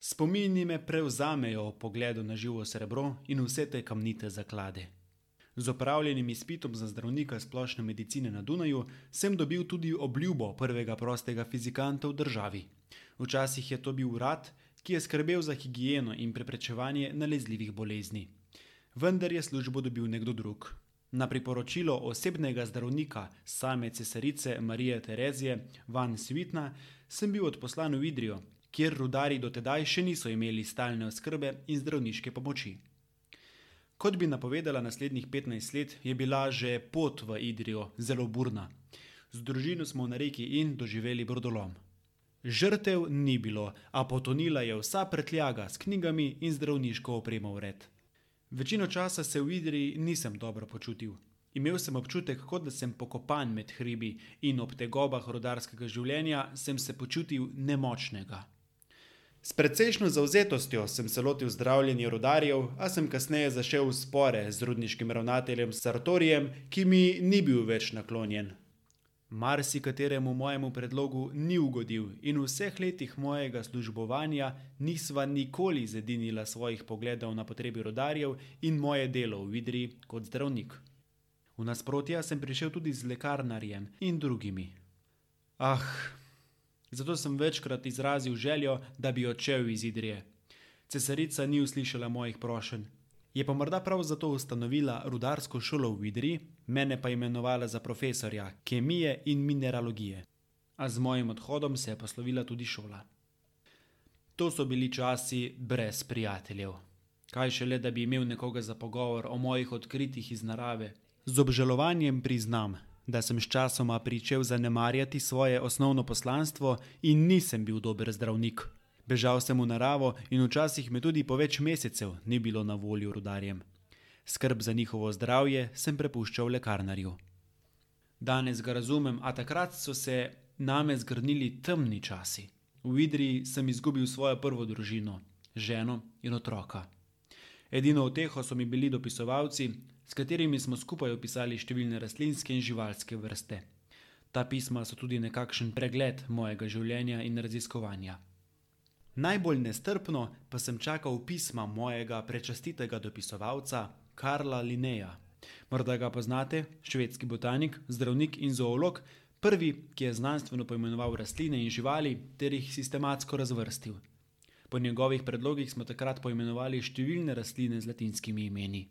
Spomini me prevzamejo ob pogledu na živo srebro in vse te kamnite zaklade. Z opravljenim izpitom za zdravnika splošne medicine na Dunaju sem dobil tudi obljubo prvega prostega fizikanta v državi. Včasih je to bil urad, ki je skrbel za higieno in preprečevanje nalezljivih bolezni. Vendar je službo dobil nekdo drug. Na priporočilo osebnega zdravnika same cesarice Marije Terezije van Svitna sem bil odposlan v Idrijo, kjer rudarji dotedaj še niso imeli stalne oskrbe in zdravniške pomoči. Kot bi napovedala naslednjih 15 let, je bila že pot v Idrijo zelo burna. Z družino smo na reki Inn doživeli brodolom. Žrtev ni bilo, a potonila je vsa prtljaga s knjigami in zdravniško opremo vred. Večino časa se v Idriji nisem dobro počutil. Imel sem občutek, kot da sem pokopan med hribi in ob tegobah rudarskega življenja sem se počutil nemočnega. S precejšnjo zavzetostjo sem se lotil zdravljenja rudarjev, a sem kasneje zašel v spore z rudniškim ravnateljem Sartorijem, ki mi ni bil več naklonjen. Marsikateremu mojemu predlogu ni ugodil in v vseh letih mojega službovanja nisva nikoli zedinila svojih pogledov na potrebi rudarjev in moje delo v Idriji kot zdravnik. V nasprotja sem prišel tudi z lekarnarjem in drugimi. Zato sem večkrat izrazil željo, da bi odšel iz Idrije. Cesarica ni uslišala mojih prošenj. Je pa morda prav zato ustanovila rudarsko šolo v Idriji, mene pa imenovala za profesorja kemije in mineralogije. A z mojim odhodom se je poslovila tudi šola. To so bili časi brez prijateljev. Kaj šele, da bi imel nekoga za pogovor o mojih odkritjih iz narave. Z obžalovanjem priznam, da sem sčasoma pričel zanemarjati svoje osnovno poslanstvo in nisem bil dober zdravnik. Bežal sem v naravo in včasih me tudi po več mesecev ni bilo na voljo rudarjem. Skrb za njihovo zdravje sem prepuščal lekarnarju. Danes ga razumem, a takrat so se name zgrnili temni časi. V Idriji sem izgubil svojo prvo družino, ženo in otroka. Edino uteho so mi bili dopisovalci, s katerimi smo skupaj opisali številne rastlinske in živalske vrste. Ta pisma so tudi nekakšen pregled mojega življenja in raziskovanja. Najbolj nestrpno pa sem čakal pisma mojega prečastitega dopisovalca Karla Linneja. Morda ga poznate, švedski botanik, zdravnik in zoolog, prvi, ki je znanstveno poimenoval rastline in živali ter jih sistematsko razvrstil. Po njegovih predlogih smo takrat poimenovali številne rastline z latinskimi imeni.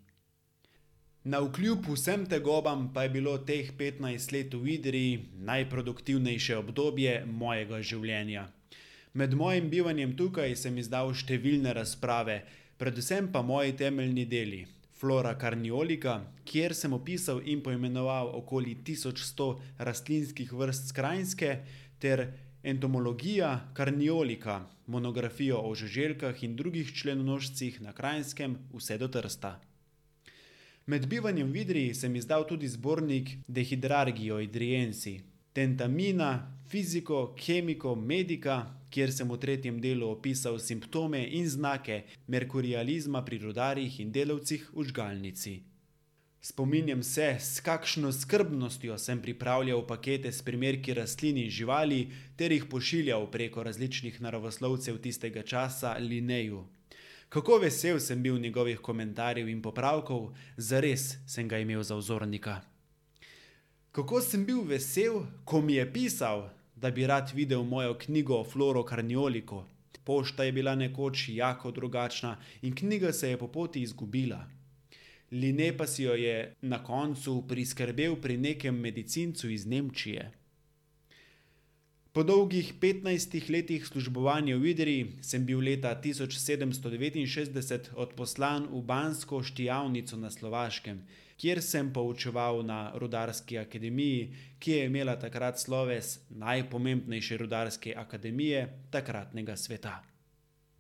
Navkljub vsem tegobam pa je bilo teh 15 let v Idriji najproduktivnejše obdobje mojega življenja. Med mojim bivanjem tukaj sem izdal številne razprave, predvsem pa moji temeljni deli. Flora carniolica, kjer sem opisal in poimenoval okoli 1100 rastlinskih vrst s Kranjske, ter Entomologija carniolica, monografijo o žuželkah in drugih členonožcih na Kranjskem vse do Trsta. Med bivanjem v Idriji sem izdal tudi zbornik De hydrargio idriensi, Tentamina, Fiziko, Chemico, Medica, kjer sem v 3. delu opisal simptome in znake merkurializma pri rudarjih in delavcih v žgalnici. Spominjam se, s kakšno skrbnostjo sem pripravljal pakete s primerki rastlin in živali ter jih pošiljal preko različnih naravoslovcev tistega časa Linneju. Kako vesel sem bil njegovih komentarjev in popravkov, zares sem ga imel za vzornika. Kako sem bil vesel, ko mi je pisal, da bi rad videl mojo knjigo Floro carniolico. Pošta je bila nekoč jako drugačna in knjiga se je po poti izgubila. Linne pa si jo je na koncu priskrbel pri nekem medicincu iz Nemčije. Po dolgih 15 letih službovanja v Idriji sem bil leta 1769 odposlan v Bansko Štijavnico na Slovaškem, kjer sem poučeval na rudarski akademiji, ki je imela takrat sloves najpomembnejše rudarske akademije takratnega sveta.